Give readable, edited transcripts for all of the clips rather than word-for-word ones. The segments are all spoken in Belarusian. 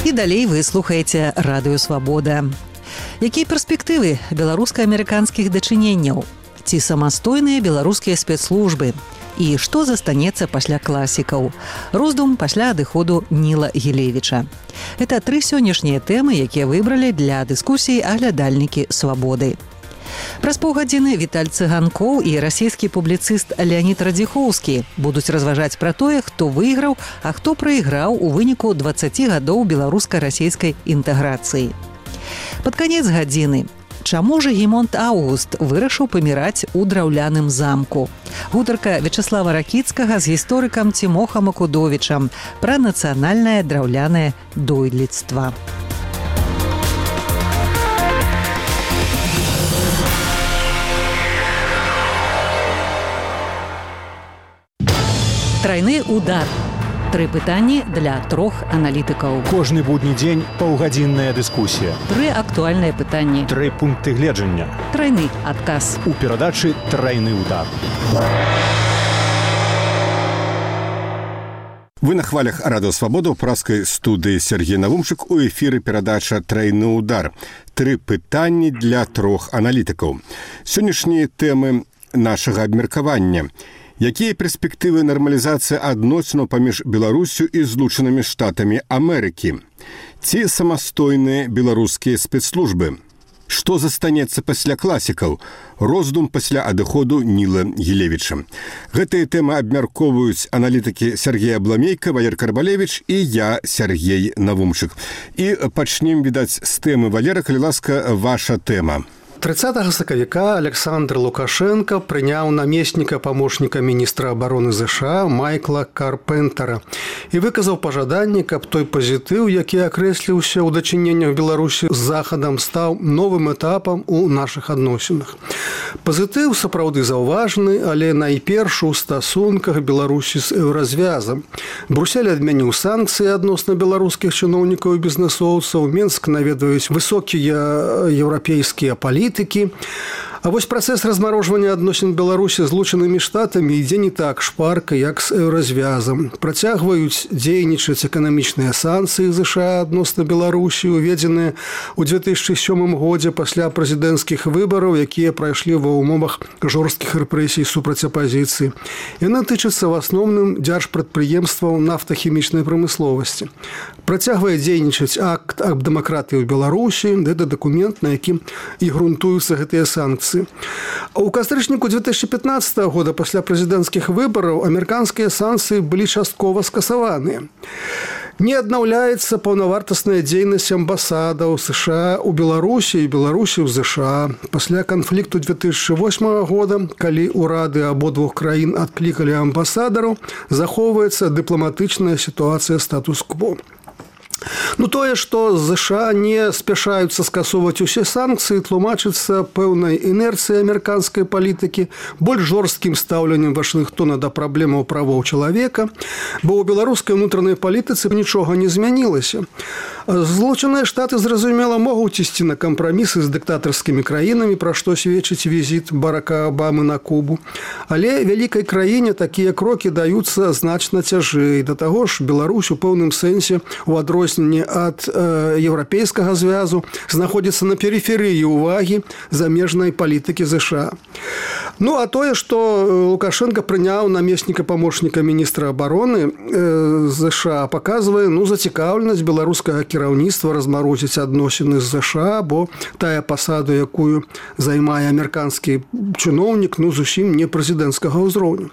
І далей вы слухаеце Радыё Свабода. Якія перспектывы беларуска-амерыканскіх дачыненняў? Ці самастойныя беларускія спецслужбы? І што застанецца пасля класікаў? Роздум пасля адыходу Ніла Гілевіча. Гэта 3 сённяшнія тэмы, якія выбралі для дыскусіі аглядальнікі Свабоды. Праз паўгадзіны Віталь Цыганкоў і расійскі публіцыст Леонід Радзіхоўскі будуць разважаць пра тое, хто выйграў, а хто прайграў у выніку 20 гадоў беларуска-расійскай інтэграцыі. Пад канец гадзіны. Чаму ж Гімонт Аўгуст вырашыў паміраць у драўляным замку? Гутарка Вячаслава Ракіцкага з гісторыкам Цімохам Акудовічам пра нацыянальнае драўлянае дойлідства. Трайны удар. 3 пытанні для 3 аналітыкаў. Кожны будні дзень паўгадзінная дыскусія. 3 актуальныя пытанні. 3 пункты гледжання. Трайны адказ. У перадачы «Трайны удар». Вы на хвалях Радыё Свабода ў праскай студыі Сергей Навумчык, у эфіры перадача «Трайны удар». 3 пытанні для 3 аналітыкаў. Сённяшнія тэмы нашага абмеркавання. Якія перспектывы нармалізацыі адносінаў паміж Беларусю і Злучанымі Штатамі Амерыкі? Ці самастойныя беларускія спецслужбы? Што застанецца пасля класікаў? Роздум пасля адыходу Ніла Гілевіча. Гэтыя тэмы абмяркоўваюць аналітыкі Сергей Абламейка, Валер Карбалевіч і я, Сергей Навумчык. І пачнем, відаць, з тэмы. Валера, калі ласка, ваша тэма. 30 сакавіка Александр Лукашенко прыняў намесніка памочніка міністра абароны ЗША Майкла Карпентера і выказаў пажаданне, каб той пазітыў, які акрэсліўся ў дачыненнях Беларусі з Захадам, стаў новым этапам у нашых адносінах. Пазітыў сапраўды заўважны, але найперш у стасунках Беларусі з еўразвязам. Брусель адмяніў санкцыі адносна беларускіх чыноўнікаў і бізнэсоўцаў, Менск наведваюць высокія еўрапейскія палітыкі. А вось працэс размарожвання адносін Беларусі з Злучанымі Штатамі ідзе не так шпарка, як з еўразвязам. Працягваюць дзейнічаць эканамічныя санкцыі ЗША адносна Беларусі, уведзеныя ў 2007 годзе пасля прэзідэнцкіх выбараў, якія прайшлі ва ўмовах жорсткіх рэпрэсій супраць апазіцыі. Яны тычацца в асноўным дзяржпрадпрыемстваў нафтахімічнай прамысловасці. Працягвае дзейнічаць акт аб дэмакратыі ў Беларусі, гэта дакумент, на якім і грунтуюцца гэтыя санкцыі. У кастрычніку 2015 года пасля прэзідэнцкіх выбараў амерыканскія санкцыі былі часткова скасаваныя. Не аднаўляецца паўнавартасная дзейнасць амбасадаў США ў Беларусі і Беларусі ў ЗША. Пасля канфлікту 2008 года, калі ўрады абодвух краін адклікалі амбасадараў, захоўваецца дыпламатычная сітуацыя статус-кво. Тое, што ЗША не спяшаюцца скасоўваць усе санкцыі, тлумачыцца пэўнай інерцыяй амерыканскай палітыкі, больш жорсткім стаўленнем Вашынгтона да праблемаў правоў чалавека, бо ў беларускай унутранай палітыцы нічога не змянілася. Злучаныя Штаты, зразумела, могуць ісці на кампрамісы з дыктатарскімі краінамі, пра што сведчыць візіт Барака Абамы на Кубу. Але вялікай краіне такія крокі даюцца значна цяжэй. Да таго ж, Беларусь у пэўным сэнсе у адрозненні ад еўрапейскага звязу знаходзіцца на перыферыі ўвагі замежнай палітыкі ЗША. А тое, што Лукашенко прыняў намесніка памочніка міністра абароны ЗША, паказвае зацікаўленасць беларускага кіраўніцтва размарозіць адносіны з ЗША, бо тая пасада, якую займае амерыканскі чыноўнік, зусім не прэзідэнцкага ўзроўню.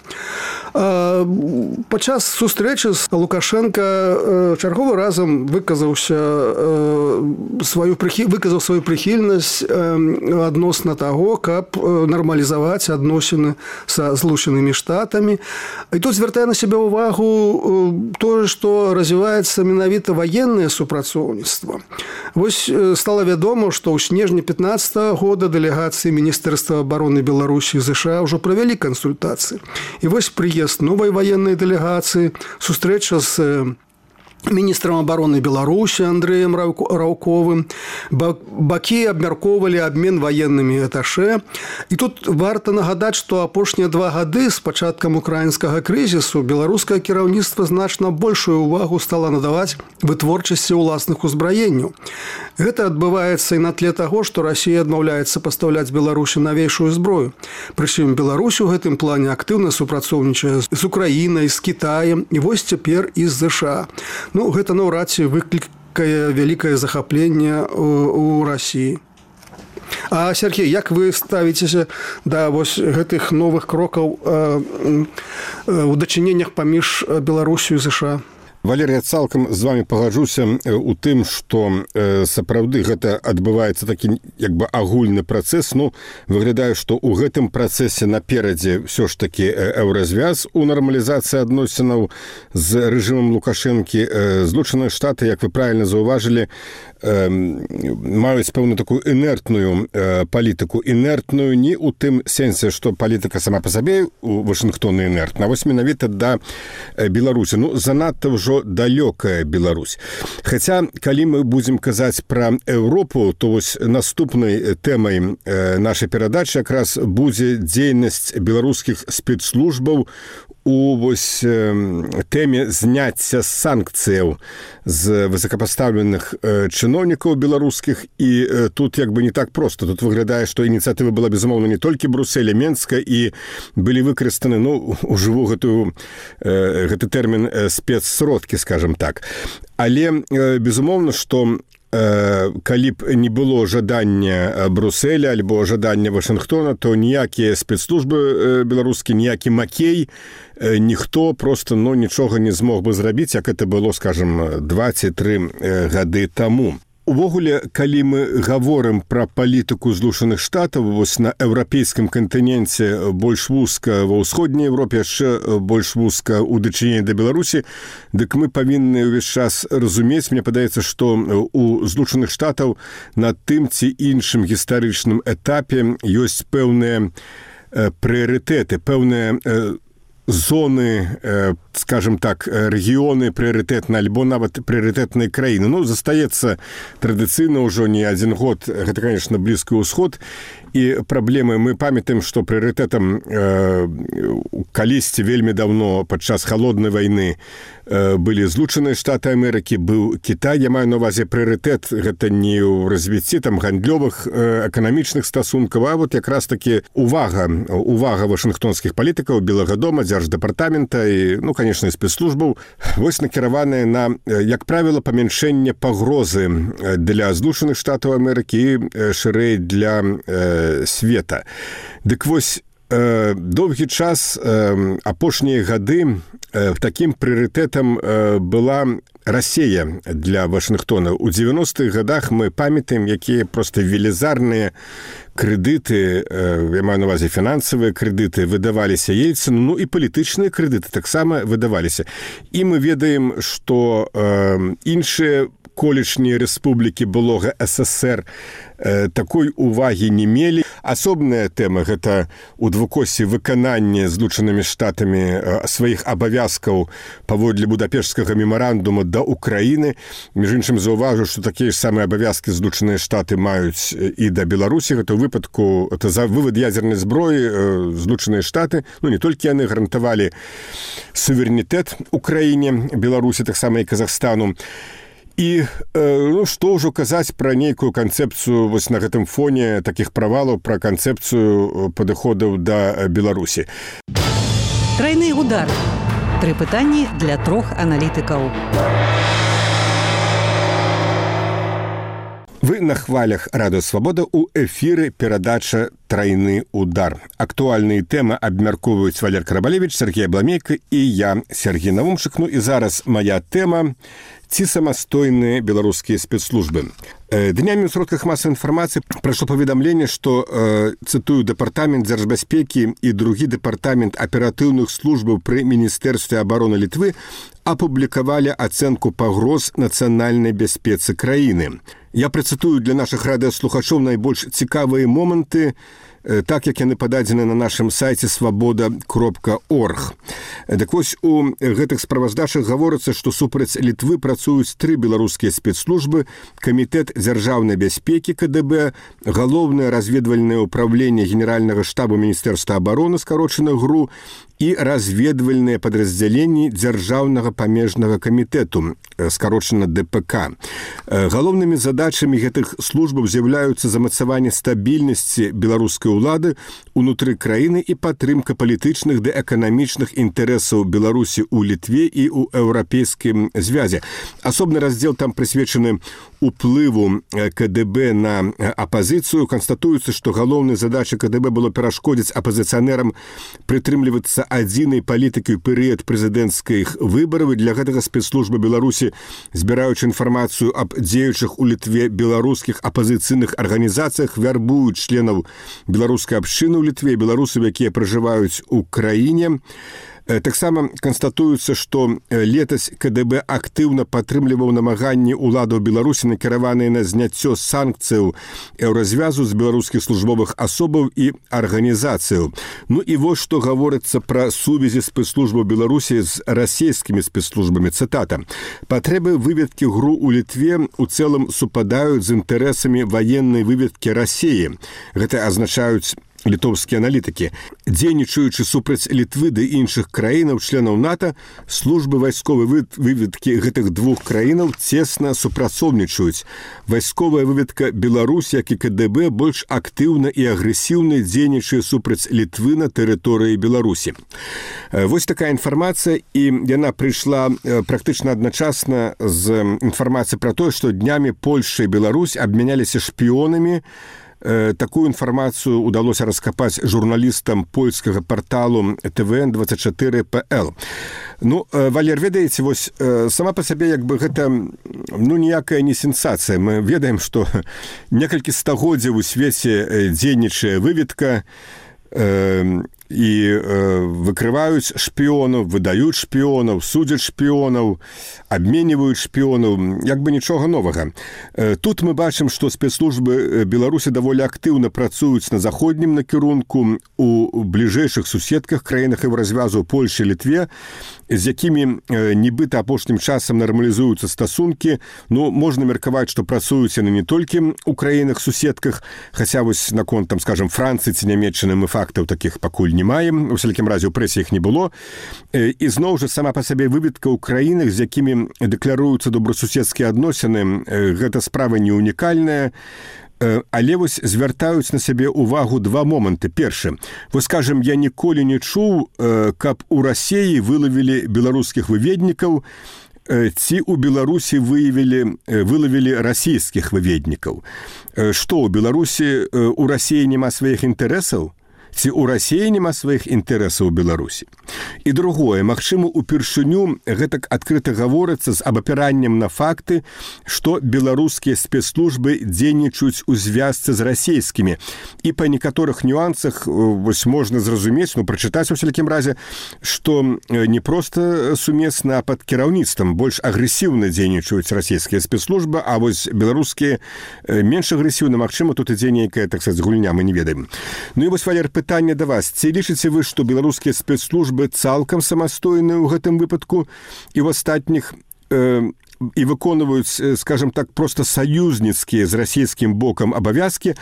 Падчас сустрэчы з Лукашенко чарговы разам выказаў сваю прыхільнасць адносна таго, каб нармалізаваць адносіны са Злучанымі Штатамі. І тут звяртае на сябе ўвагу тое, што развіваецца менавіта ваеннае супрацоўніцтва. Вось стала вядома, што ў снежні 2015 года дэлегацыі Міністэрства абароны Беларусі і ЗША ўжо правялі кансультацыі. І вось прыезд новай ваеннай дэлегацыі, сустрэча з міністрам обороны Беларусі Андрэем Раўковым. Бакі абмяркоўвалі абмен ваеннымі аташэ. І тут варта нагадаць, што апошнія 2 гады з пачаткам украінскага крызісу беларускае кіраўніцтва значна большую увагу стала надаваць вытворчасці ўласных узбраенняў. Гэта адбываецца і на тле таго, што Расія адмаўляецца пастаўляць Беларусі навейшую зброю. Прычым Беларусь у гэтым плане актыўна супрацоўнічае з Украінай, з Кітаем і вось цяпер і з ЗША. Ну, гэта наўрад ці выклікае вялікае захапленне ў Расіі. А, Сергей, як вы ставіцеся да вось гэтых новых крокаў у дачыненнях паміж Беларусю і ЗША? Валерий, я цалкам з вами пагаджуся у тым, што сапраўды гэта адбываецца такі як бы агульны працэс. Ну, выглядае, што ў гэтым працэсе наперадзе ўсё ж такі еўразвяз у нармалізацыі адносінаў з рэжымам Лукашэнкі. Злучаныя Штаты, як вы правільна заўважылі, маюць пэўную такую інертную палітыку. Інертную не ў тым сэнсе, што палітыка сама па сабе у Вашынгтоне інертна, а вось менавіта да Беларусі. Ну, занадта ўжо далёкая Беларусь. Хаця, калі мы будзем казаць пра Еўропу, то вось наступнай тэмай нашай перадачы якраз будзе дзейнасць беларускіх спецслужбаў у вось тэме зняцця санкцыяў з высокапастаўленых чыноўнікаў беларускіх. І тут як бы не так проста. Тут выглядае, што ініцыятыва была, безумоўна, не толькі Брусселя, Менска, і былі выкарыстаны, ну, ужыву гэты тэрмін спецсродкі, скажем так. Але, безумоўна, што калі б не было жадання Брусселя альбо жадання Вашынгтона, то ніякія спецслужбы беларускія, ніякі Макей, ніхто просто, ну, нічога не змог бы зрабіць, як это было, скажем, 2-3 гады таму. Увогуле, калі мы гаворым пра палітыку Злучаных Штатаў, вось на еўрапейскім кантыненце больш вузка, ва ўсходняй Европе яшчэ больш вузка ў дачыненні да Беларусі, дык мы павінны ўвесь час разумець, мне падаецца, што у Злучаных Штатаў на тым ці іншым гістарычным этапе ёсць пэўныя прыярытэты, пэўныя зоны, скажем так, рэгіёны прыярытэтныя альбо нават прыярытэтныя краіны. Ну, застаецца традыцыйна ўжо не 1 год, гэта, конечно, Блізкі ўсход, і праблемы. Мы памятаем, што прыярытэтам калісьці вельмі даўно падчас халоднай вайны былі Злучаныя Штаты Амерыкі, быў Кітай. Я маю на ўвазе прыярытэт, гэта не ў развіцці там гандлёвых, эканамічных стасункаў, а вот якраз такі увага вашынгтонскіх палітыкаў, Белага дома, дзярждэпартамента і, ну, конечно, спецслужбаў, вось накіраваныя на, як правіла, памяншэнне пагрозы для Злучаных Штатаў Амерыкі і шырэй для света. Дык вось доўгі час, апошнія гады такім прыярытэтам была Расія для Вашынгтона. У 90-х годах мы памятаем, якія проста велізарныя крэдыты, я маю на ўвазе фінансавыя крэдыты, выдаваліся Ельцыну, ну і палітычныя крэдыты таксама выдаваліся. І мы ведаем, што іншыя колішнія рэспублікі былога СССР такой увагі не мелі. Асобная тэма – гэта у двукосе выкананне Злучанымі Штатамі сваіх абавязкаў паводле Будапешцкага мемарандума да Украіны. Між іншым, заўважу, што такія ж самыя абавязкі Злучаныя Штаты маюць і да Беларусі. Гэта ў выпадку за вывад ядзернай зброі Злучаныя Штаты, ну не толькі яны гарантавалі суверэнітэт Украіне, Беларусі, таксама і Казахстану. І, ну, што ўжо казаць пра нейкую канцэпцыю вось на гэтым фоне такіх правалаў, пра канцэпцыю падыходаў да Беларусі. Трайны удар. 3 пытанні для 3 аналітыкаў. Вы на хвалях Радыё Свабода, у эфіры перадача «Трайны удар». Актуальныя тэмы абмяркоўваюць Валер Карабалевіч, Сергей Абламейка і я, Сергей Навумшык. Ну і зараз моя тэма – ці самастойныя беларускія спецслужбы. Днямі ў сродках масавай інфармацыі прайшло паведамленне, што, цытую, Дэпартамент дзяржбяспекі і другі дэпартамент аператыўных службаў пры Міністэрстве абароны Літвы апублікавалі ацэнку пагроз нацыянальнай бяспецы краіны. Я працытую для нашых радыёслухачоў найбольш цікавыя моманты так як яны пададзены на нашым сайце свабода.орг. Так вось, у гэтых справаздачах гаворыцца, што супраць Літвы працуюць 3 беларускія спецслужбы: Камітэт дзяржаўнай бяспекі КДБ, Галоўнае разведвальнае ўпраўленне Генеральнага штабу Міністэрства абароны, скарочана ГРУ, і разведвальныя падраздзяленні Дзяржаўнага памежнага камітэту, скарочана ДПК. Галоўнымі задачамі гэтых службаў з'яўляюцца замацаванне стабільнасці беларускай улады ўнутры краіны і падтрымка палітычных ды эканамічных інтарэсаў Беларусі ў Літве і ў Еўрапейскім звязе. Асобны раздзел там прысвечаны уплыву КДБ на апазіцыю. Канстатуецца, што галоўнай задачай КДБ было перашкодзіць апазіцыянерам прытрымлівацца адзінай палітыкі ў перыяд прэзідэнцкіх выбараў. Для гэтага спецслужбы Беларусі, збіраючы інфармацыю аб дзеючых у Літве беларускіх апазіцыйных арганізацыях, вярбуюць членаў беларускай абшчыны ў Літве, беларусаў, якія пражываюць у краіне. Таксама канстатуецца, што летась КДБ актыўна падтрымліваў намаганні ўладаў Беларусі, накіраваныя на зняццё санкцыяў еўразвязу з беларускіх службовых асобаў і арганізацыяў. Ну і вось што гаворыцца пра сувязі спецслужбаў Беларусі з расійскімі спецслужбамі. Цытата: «Патрэбы выведкі ГРУ ў Літве у цэлым супадаюць з інтарэсамі ваеннай выведкі Расіі». Гэта азначаюць літоўскія аналітыкі. Дзейнічаючы супраць Літвы ды іншых краінаў, членаў НАТО, службы вайсковай выведкі гэтых двух краінаў цесна супрацоўнічаюць. Вайсковая выведка Беларусі, як і КДБ, больш актыўна і агрэсіўна дзейнічае супраць Літвы на тэрыторыі Беларусі. Вось такая інфармацыя, і яна прыйшла практычна адначасна з інфармацыяй пра тое, што днямі Польшча і Беларусь абмяняліся шпіёнамі. Такую інфармацыю удалося раскапаць журналістам польскага парталу TVN24.pl. Ну, Валер, ведаеце, вось сама па сабе як бы гэта ніякая не сенсацыя. Мы ведаем, што некалькі стагоддзяў у свеце дзейнічае выведка, і выкрываюць шпіёнаў, выдаюць шпіёнаў, судзяць шпіёнаў, абменьваюць шпіёнаў, як бы нічога новага. Тут мы бачым, што спецслужбы Беларусі даволі актыўна працуюць на заходнім накірунку у бліжэйшых суседках, краінах Еўразвязу, Польшчы, Літве, з якімі нібыта апошнім часам нармалізуюцца стасункі. Ну, можна меркаваць, што працуюць яны не толькі ў краінах-суседках, хаця вось наконт, там, скажем, Францыі ці Нямецчыны мы фактаў такіх пакуль не маем, у всякім разе ў прэсе іх не было. І зноў жа сама па сабе выведка ў краінах, з якімі дэкларуюцца добрасуседскія адносіны, гэта справа не унікальная. Але вось звяртаюць на сябе ўвагу два моманты. Першы, вось, скажем, я ніколі не чуў, каб у Расіі вылавілі беларускіх выведнікаў, ці ў Беларусі вылавілі расійскіх выведнікаў. Што, у Беларусі, у Расіі няма сваіх інтарэсаў? Ці ў Расіі няма сваіх інтарэсаў у Беларусі? І другое, магчыма, упершыню гэтак адкрыта гаворыцца з абапіраннем на факты, што беларускія спецслужбы дзейнічаюць у звязцы з расійскімі. І па некаторых нюансах вось можна зразумець, прачытаць у всякім разе, што не проста сумесна, а пад кіраўніцтвам больш агрэсіўна дзейнічаюць расійскія спецслужбы, а вось беларускія менш агрэсіўна, магчыма, тут ідзе нейкая, так сказаць, гульня, мы не ведаем. Ну і вось, Валер, пытанне да вас. Ці лічыце вы, што беларускія спецслужбы цалкам самастойныя ў гэтым выпадку і ў астатніх і выконваюць, скажем так, проста саюзніцкія з расійскім бокам абавязкі,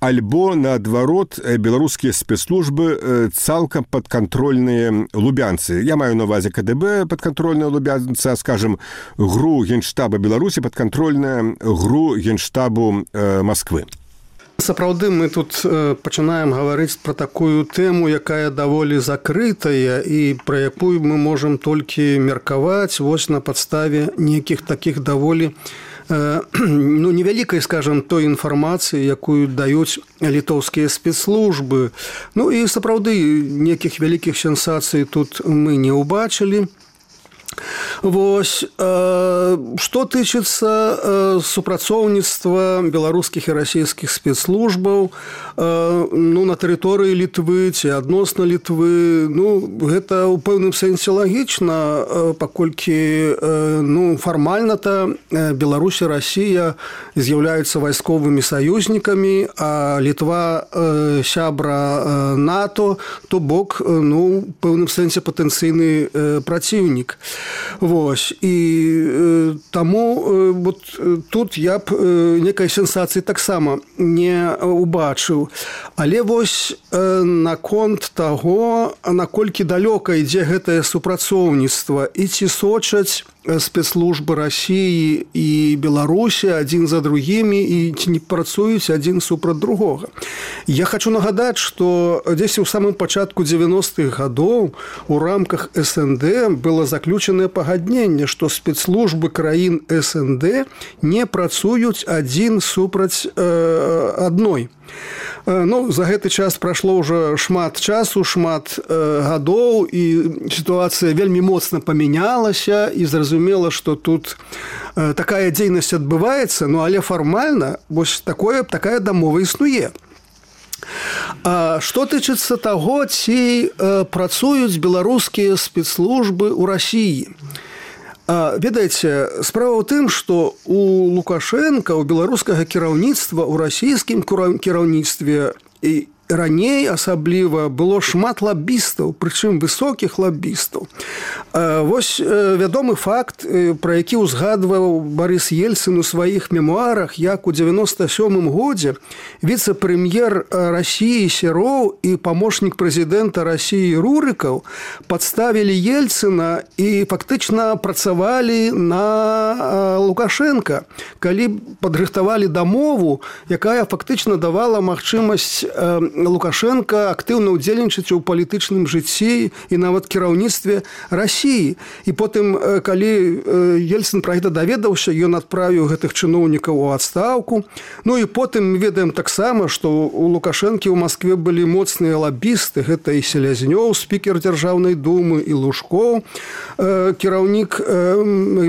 альбо, наадварот, беларускія спецслужбы цалкам падкантрольныя лубянцы? Я маю на увазе КДБ падкантрольная лубянца, скажем, ГРУ Генштаба Беларусі падкантрольная ГРУ Генштабу Масквы. Сапраўды, мы тут пачынаем гаварыць пра такую тэму, якая даволі закрытая і пра якую мы можам толькі меркаваць вось на падставе нейкіх такіх даволі невялікай, скажем, той інфармацыі, якую даюць літоўскія спецслужбы. Ну і сапраўды, нейкіх вялікіх сенсацый тут мы не ўбачылі. Вось, што тычыцца супрацоўніцтва беларускіх і расійскіх спецслужбаў на тэрыторыі Літвы ці адносна Літвы, гэта ў пэўным сэнсе лагічна, паколькі фармальна-то Беларусь і Расія з'яўляюцца вайсковымі саюзнікамі, а Літва сябра НАТО, то бок, у пэўным сэнсе патэнцыйны праціўнік. Вось, і таму вот тут я б некай сенсацыі таксама не убачыў. Але вось наконт таго, наколькі далёка ідзе гэтае супрацоўніцтва і ці сочаць спецслужбы Расіі і Беларусі адзін за другімі і ці не працуюць адзін супраць другога. Я хочу нагадаць, што дзесь у самым пачатку 90-х гадоў у рамках СНД было заключанае пагадненне, што спецслужбы краін СНД не працуюць адзін супраць адной. За гэты час прайшло ўжо шмат часу, шмат гадоў, і сітуацыя вельмі моцна памянялася, і зразумела, што тут такая дзейнасць адбываецца, але фармальна вось такая дамова існуе. Што тычыцца таго, ці працуюць беларускія спецслужбы ў Расіі. Ведаеце, справа ў тым, што у Лукашенка, у беларускага кіраўніцтва, у расійскім кіраўніцтве і раней асабліва было шмат лабістаў, прычым высокіх лабістаў. Вось вядомы факт, пра які ўзгадваў Барыс Ельцын у сваіх мемуарах, як у 97-м годзе віцэ-прэм'ер Расіі Сероў і памочнік прэзідэнта Расіі Рурыкаў падставілі Ельцына і фактычна працавалі на Лукашенка, калі падрыхтавалі дамову, якая фактычна давала магчымасць Лукашенко актыўна ўдзельнічаць у палітычным жыцці і нават кіраўніцтве Расіі. І потым, калі Ельцын пра гэта даведаўся, ён адправіў гэтых чыноўнікаў у адстаўку. І потым мы ведаем таксама, што у Лукашэнкі ў Маскве былі моцныя лабісты. Гэта і Селязнёў, спікер Дзяржаўнай думы, і Лужкоў, кіраўнік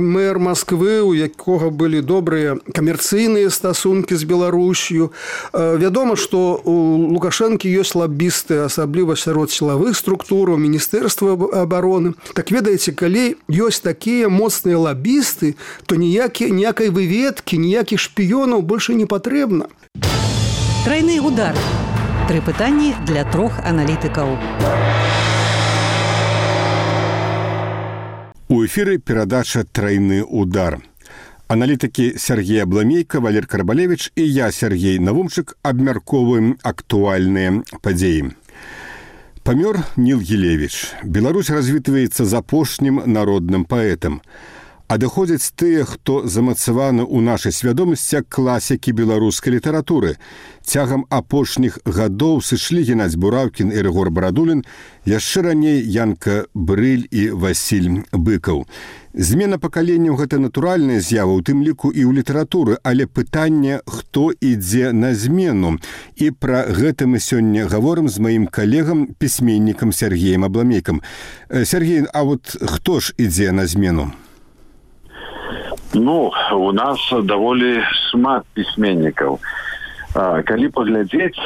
мэр Масквы, у якога былі добрыя камерцыйныя стасункі з Беларусью. Вядома, што у Лукашэнкі ёсць лабісты, асабліва сярод сілавых структураў, Міністэрства абароны. Так ведаеце, калі ёсць такія моцныя лабісты, то ніякай выведкі, ніякіх шпіёнаў больше не патрэбна. Трайны удар. 3 пытанні для 3 аналітыкаў. У эфіры перадача «Трайны удар». Аналітыкі Сергей Абламейка, Валер Карбалевіч і я, Сергей Навумчык, абмярковуем актуальныя падзеі. Памёр Ніл Гілевіч. Беларусь развітваецца з апошнім народным паэтам. Адыходзяць тыя, хто замацаваны ў нашай свядомасці класікі беларускай літаратуры. Цягам апошніх гадоў сышлі Геннадзь Бураўкін і Рыгор Барадулін, яшчэ раней Янка Брыль і Васіль Быкаў. Змена пакаленняў – гэта натуральная з'ява, у тым ліку і ў літаратуры, але пытанне, хто ідзе на змену. І пра гэта мы сёння гаворым з маім калегам, пісьменнікам Сергеем Абламейкам. Сергей, а вот хто ж ідзе на змену? У нас даволі шмат пісьменнікаў. Калі паглядзець,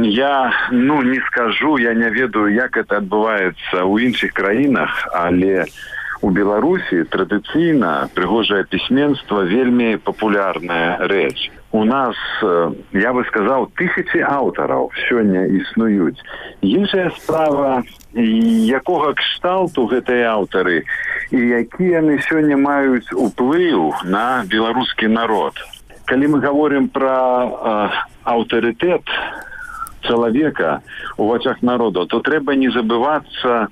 я не скажу, я не ведаю, як это адбываецца ў іншых краінах, але у Беларусі традыцыйна прыгожае пісьменства вельмі папулярная рэч. У нас, я бы сказаў, 1000 аўтараў сёння існуюць. Іншая справа, якога кшталту гэтыя аўтары і які яны сёння маюць уплыў на беларускі народ. Калі мы гаворым пра аўтарытэт чалавека у вачах народа, то трэба не забывацца,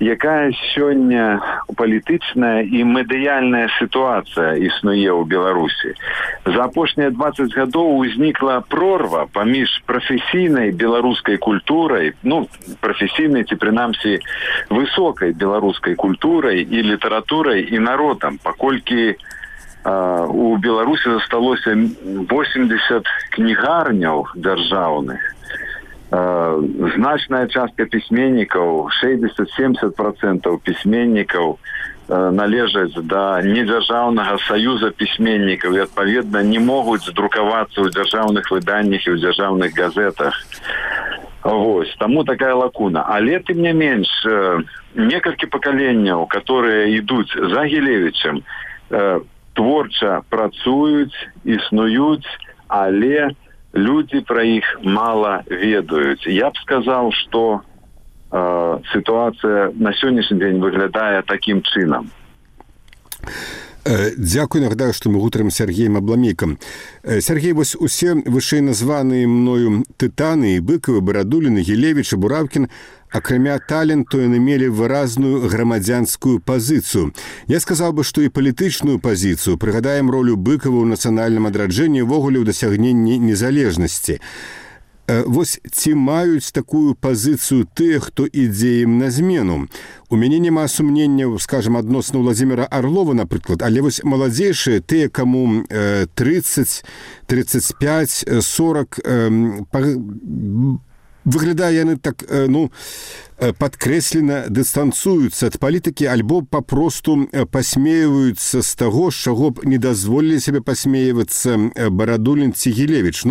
якая сёння палітычная і медыяльная сітуацыя існуе ў Беларусі. За апошнія 20 гадоў узнікла прорва паміж прафесійнай беларускай культурай, прафесійнай ці прынамсі высокай беларускай культурай і літаратурай і народам, паколькі у Беларусі засталося 80 кнігарняў дзяржаўных. Значная частка пісьменнікаў, 60-70% пісьменнікаў належаць да недзяржаўнага саюза пісьменнікаў і, адпаведна, не могуць друкавацца ў дзяржаўных выданнях і ў дзяржаўных газетах. Вось, таму такая лакуна. Але, тым не менш, некалькі пакаленняў, которые ідуць за Гілевічам, творча працуюць, існуюць, але людзі пра іх мала ведаюць. Я б сказаў, што ситуация на сённяшні дзень выглядае таким чынам. Дзякуй, нагадаю, што мы гутарым з Сергеем Абламейкам. Сергей, вось усе вышэй названыя мною тытаны, Быкавы, Барадулін, Гілевіч і Бураўкін, акрамя таленту, яны мелі выразную грамадзянскую пазіцыю. Я сказаў бы, што і палітычную пазіцыю. Прыгадаем ролю Быкава ў нацыянальным адраджэнні, увогуле ў дасягненні незалежнасці. Вось ці маюць такую пазіцыю тыя, хто ідзе ім на змену? У мяне няма сумненняў, скажам, адносна Владзіміра Арлова, напрыклад, але вось маладзейшыя, тыя, каму 30, 35, 40, выглядае яны так, падкрэслена дыстанцуюцца ад палітыкі, альбо папросту пасмеиваюцца з таго, з чаго б не дазволілі сябе пасмеивацца Барадулін ці Гілевіч.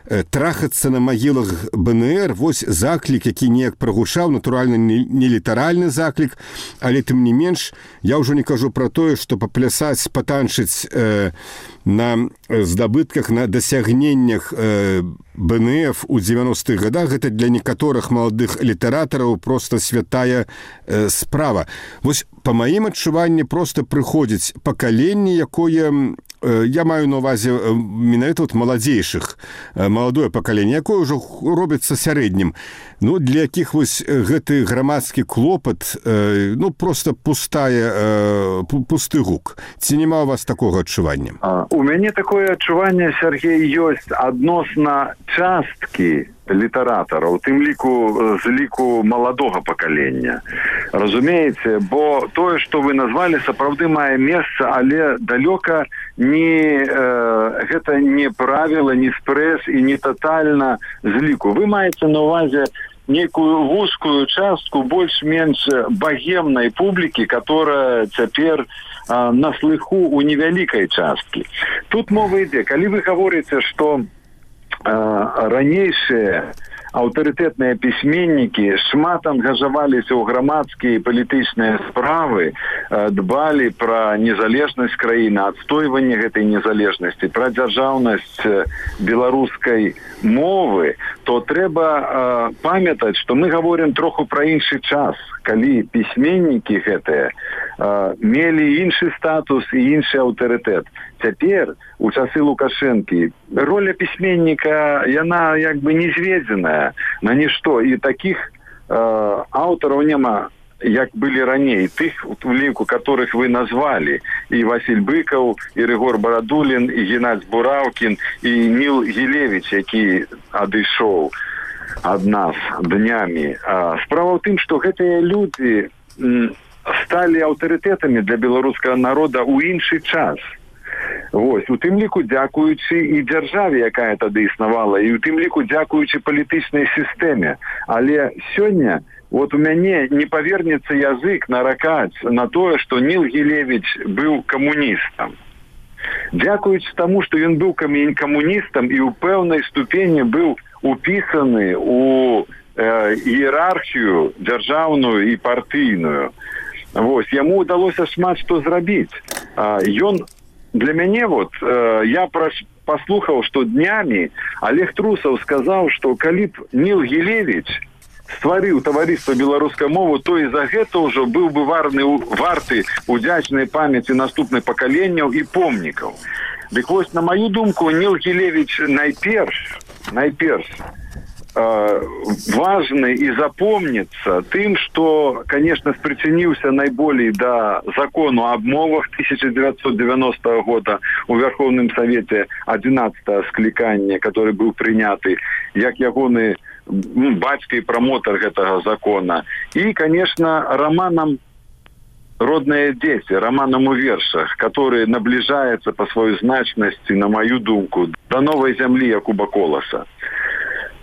Трахацца на магілах БНР, вось заклік, які неяк прагучаў, натуральна, не літаральны заклік, але тым не менш, я ўжо не кажу пра тое, што паплясаць, патанчыць на здабытках, на дасягненнях БНФ у 90-х годах, гэта для некаторых маладых літаратараў проста святая справа. Вось па маім адчуванні проста прыходзіць пакаленне, якое, я маю на ўвазе менавіта маладзейшых, маладое пакаленне, якое ўжо робіцца сярэднім. Для якіх вось гэты грамадскі клопат, проста пусты гук. Ці няма у вас такога адчування? У мяне такое адчуванне, Сергей, ёсць адносна часткі літаратараў, тым ліку з ліку маладога пакалення. Разумееце, бо тое, што вы назвалі, сапраўды мае месца, але далёка гэта не правіла, не спрэс і не татальна з ліку. Вы маеце на ўвазе некую вузкую частку больш-менш багемнай публікі, которая цяпер на слыху у невялікай часткі. Тут мова ідзе, калі вы гаворыце, што ранейшыя аўтарытэтныя пісьменнікі шмат ангажаваліся ў грамадскія і палітычныя справы, дбалі пра незалежнасць краіны, адстойванне гэтай незалежнасці, пра дзяржаўнасць беларускай мовы, то трэба памятаць, што мы гаворым троху пра іншы час, калі пісьменнікі гэтыя мелі іншы статус і іншы аўтарытэт. Цяпер, у часы Лукашэнкі, роля пісьменніка, яна як бы не зведзеная на нішто. І такіх аўтараў няма, як былі раней. Тых, у ліку которых вы назвалі. І Васіль Быкаў, і Рыгор Барадулін, і Геннадзь Бураўкін, і Ніл Гілевіч, які адышоў ад нас днямі. Справа ў тым, што гэтыя людзі сталі аўтарытэтамі для беларускага народа ў іншы час. Вось, у тым ліку дзякуючы і дзяржаве, якая тады існавала, і у тым ліку дзякуючы палітычнай сістэме. Але сёння вот у мяне не павернецца язык наракаць на тое, што Ніл Гілевіч быў камуністам. Дзякуючы таму, што ён быў камуністам і ў пэўнай ступені быў упісаны у іерархію дзяржаўную і партыйную. Вось, яму ўдалося шмат што зрабіць. Ён для мяне, я паслухаў, што днямі Олег Трусаў сказаў, што калі б Ніл Гілевіч стварыў таварыства беларускай мовы, то і за гэта ўжо быў бы варты удзячнай памяці наступных пакаленняў і помнікаў. Дык вось, на маю думку, Ніл Гілевіч найперш важны і запомніцца тым, што, конечно, спрычыніўся найболей да закону аб мовах 1990 года у Верховным Совете 11-го склікання, который быў прыняты, як ягоны бацька і прамотар гэтага закона. І, конечно, романам «Родные дети», романом у вершах, который наближается по своей значности, на мою думку, до новой земли Якуба Колоса.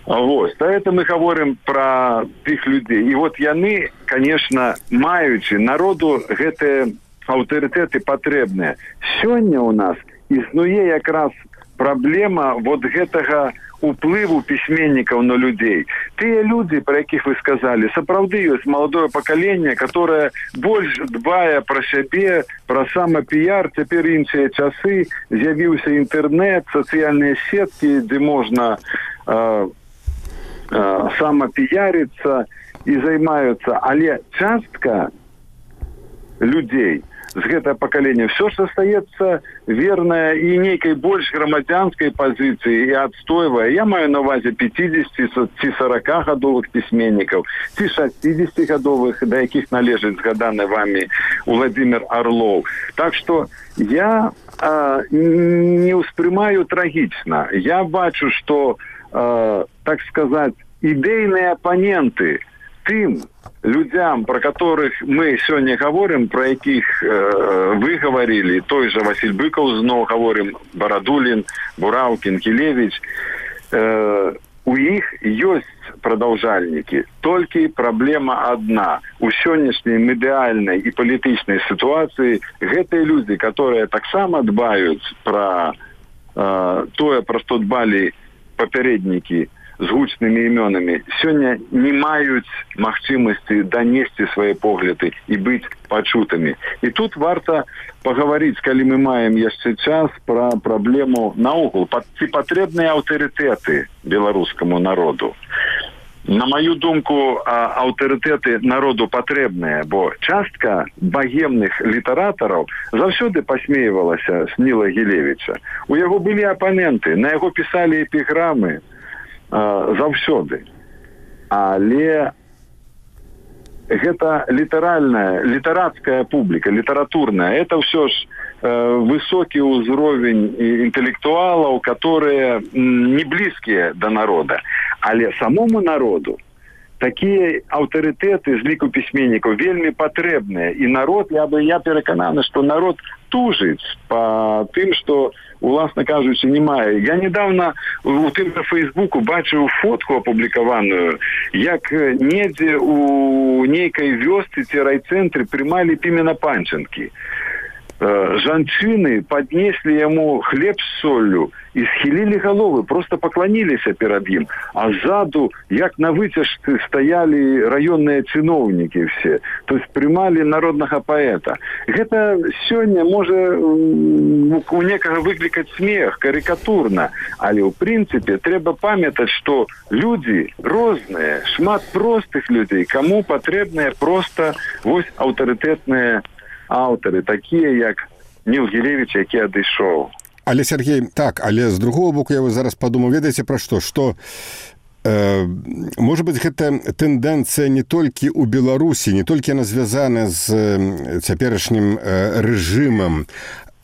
Вот. Это мы говорим про тых людей. И вот яны, конечно, маючи народу гэтыя аўтарытэты патрэбныя. Сёння у нас існуе якраз праблема вот гэтага уплыву письменников на людей. Те люди, про яких вы сказали, сапраўды ёсць молодое поколение, которое больше дбая про себе, про самопиар. Теперь іншыя часы, з'явіўся интернет, социальные сетки, где можно самопиариться и займаются. Але частка людей з гэтага пакалення все ж остается верная і нейкай больш грамадзянскай пазіцыі і адстойвае. Я маю на увазе 50 ці 40-гадовых пісьменнікаў, ці 60-гадовых, да якіх належыць згаданы вами Владимир Орлов. Так что я не успрымаю трагічна. Я бачу, что, так сказать, ідэйныя апаненты тым людям, про которых мы сегодня говорим, про яких вы говорили, той же Василь Быков, снова говорим, Бородулин, Бураўкін, Кілевіч, у іх ёсць продолжальники. Только проблема одна. У сённяшняй медыяльнай и политичной ситуации гэтыя люди, которые таксама дбают про тое, про что дбали папярэднікі з гучнымі імёнамі, сёння не маюць магчымасці данесці свае погляды і быць пачутымі. І тут варта паговорыць, калі мы маем яшчэ час, пра праблему наогул. Ці патрэбныя аўтарытэты беларускаму народу? На мою думку, аўтарытэты народу патрэбныя, бо частка багемных літаратараў заўсёды пасмейвалася з Ніла Гілевіча. У яго былі апаненты, на яго пісалі эпіграмы, заўсёды. Але гэта літарацкая публіка, літаратурная, это ўсё ж высокі ўзровень інтэлектуалаў, которые не блізкія да народа. Але самому народу такія аўтарытэты з ліку пісьменнікаў вельмі патрэбныя. І народ, я перакананы, што народ тужыць па тым, што, уласна кажучы, не мае. Я недавно у тым на Фейсбуку бачыў фотку апублікаваную, як недзе у нейкай вёсцы ці райцэнтры прымалі Пімена Панченкі. Жанчыны поднесли ему хлеб с солью и схилили головы, просто поклонились перед ним. А сзаду, як на вытяжцы, стояли районные чиновники все. То есть примали народного поэта. Это сегодня может у некого выкликать смех, карикатурно. Але в принципе треба памятать, что люди разные, шмат простых людей, кому потребны просто вось авторитетные аўтары, такія як Ніл Гілевіч, які адышоў. Але, Сергей, так, але з другого боку я зараз падумаў, ведаеце пра што? Што, можа быць, гэта тэндэнцыя не толькі ў Беларусі, не толькі яна звязана з цяперашнім рэжымам,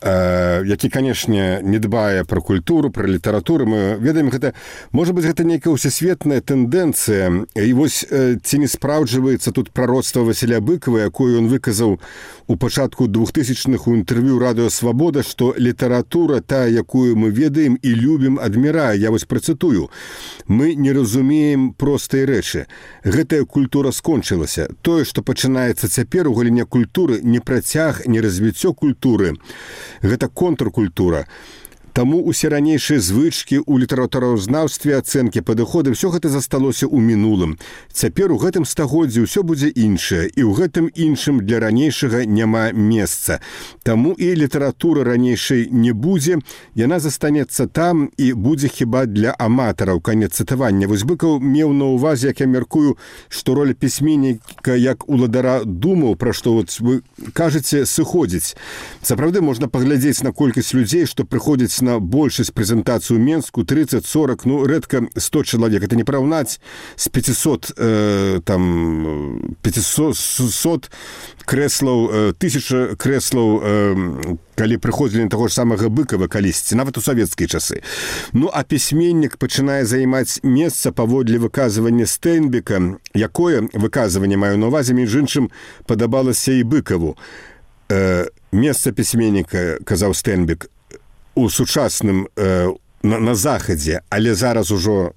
які, канешне, не дбае пра культуру, пра літаратуру. Мы ведаем, гэта, можа быць, гэта нейкая ўсесветная тэндэнцыя. І вось ці не спраўджваецца тут прароцтва Васіля Быкова, якое ён выказаў у пачатку 2000-х у інтэрв'ю «Радыё Свабода», што літаратура, тая, якую мы ведаем і любім, адмірае. Я вось працытую. Мы не разумеем простай рэчы. Гэтая культура скончылася. Тое, што пачынаецца цяпер у галіне культуры, не працяг, не развіццё культуры. Гэта контркультура. Таму усе ранейшыя звычкі ў літаратуразнаўстве, ацэнкі, падыходы, ўсё гэта засталося ў мінулым. Цяпер у гэтым стагоддзі ўсё будзе іншае, і ў гэтым іншым для ранейшага няма месца. Таму і літаратура ранейшай не будзе, яна застанецца там і будзе хіба для аматараў. Канец цытавання. Вось Быкаў меў на ўвазе, як я мяркую, што роля пісьменніка як уладара думаў, пра што вот вы кажаце, сыходзіць. Сапраўды можна паглядзець на колькасць людзей, што прыходзяць на большасць прэзентацыю Менску, 30-40, ну, рэдка 100 чалавек. Это не параўнаць з 500 крэслаў, 1000 крэслаў, калі прыходзілі на таго ж самага Быкова калісьці, нават у савецкія часы. Ну, а пісьменнік пачынае займаць месца паводле выказвання Стэнбека, якое выказванне, маю на ўвазе, між іншым, падабалася і Быкаву. Месца пісьменніка, казаў Стэнбек, у сучасным на захадзе, але зараз ужо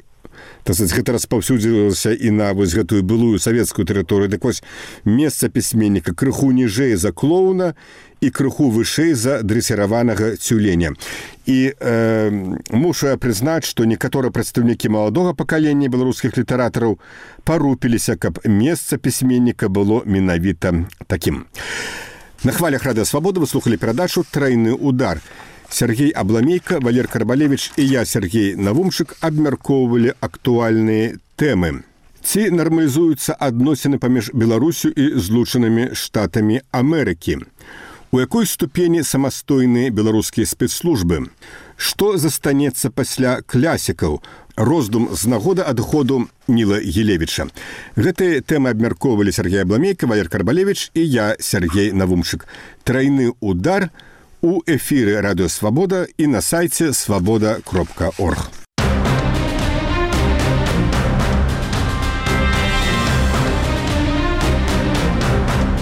Гэта распаўсюдзілася і на вось гэтую былую савецкую тэрыторыю. Дык вось месца пісьменніка крыху ніжэй за клоуна і крыху вышэй за дрэсіраванага цюленя. І мушу я прызнаць, што некаторыя прадстаўнікі маладога пакалення беларускіх літаратараў парупіліся, каб месца пісьменніка было менавіта такім. На хвалях Радыё Свабода вы слухалі перадачу «Трайны удар». Сергей Абламейка, Валер Карбалевич і я, Сергей Навумчык, абмяркоўвалі актуальныя тэмы. Ці нармалізуюцца адносіны паміж Беларусю і Злучанымі Штатамі Амерыкі? У якой ступені самастойныя беларускія спецслужбы? Што застанецца пасля класікаў? Роздум з нагоды адходу Ніла Гілевіча. Гэтыя тэмы абмяркоўвалі Сергей Абламейка, Валер Карбалевич і я, Сергей Навумчык. «Трайны удар» у эфіры Радыё Свабода і на сайце свабода.орг.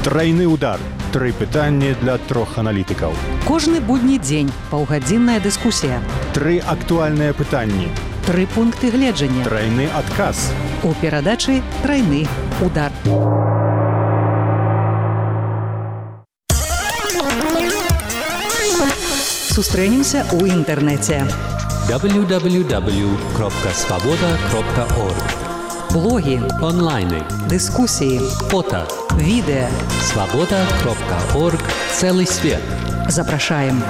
Трайны удар. 3 пытанні для 3 аналітыкаў. Кожны будні дзень паўгадзінная дыскусія. 3 актуальныя пытанні. 3 пункты гледжання. Трайны адказ. У перадачы «Трайны удар». Сустрэнемся ў інтэрнэце. www.svoboda.org. Блогі, онлайны, дыскусіі, фото, відэа. svoboda.org. Целый свет. Запрашаем.